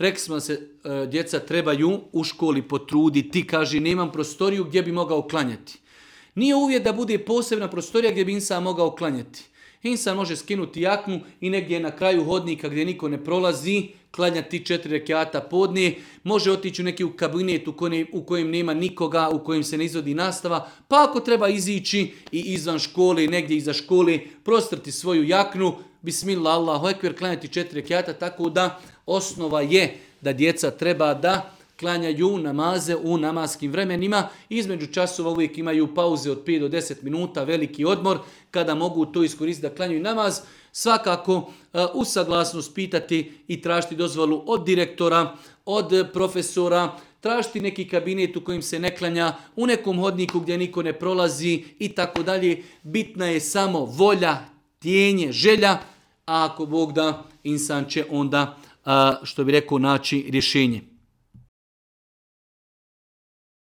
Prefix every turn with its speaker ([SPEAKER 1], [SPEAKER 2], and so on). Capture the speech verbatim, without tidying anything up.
[SPEAKER 1] rekli smo se, e, djeca trebaju u školi potruditi, kaže, nemam prostoriju gdje bi mogao klanjati. Nije uvjet da bude posebna prostorija gdje bi insan mogao klanjati. Insan može skinuti jaknu i negdje na kraju hodnika gdje niko ne prolazi, klanjati četiri rekata podne, može otići u neki u kabinet u kojem, u kojem nema nikoga, u kojem se ne izvodi nastava, pa ako treba izići i izvan škole, negdje iza škole, prostrti svoju jaknu, bismillah, Allahu ekber, klanjati četiri rekata, tako da osnova je da djeca treba da klanjaju namaze u namaskim vremenima. Između časova uvijek imaju pauze od pet do deset minuta, veliki odmor, kada mogu to iskoristiti da klanjaju namaz. Svakako uh, u saglasnost pitati i tražiti dozvolu od direktora, od profesora, tražiti neki kabinet u kojem se ne klanja, u nekom hodniku gdje niko ne prolazi i tako dalje. Bitna je samo volja, tijenje, želja, a ako Bog da, insan će onda, uh, što bi rekao, naći rješenje.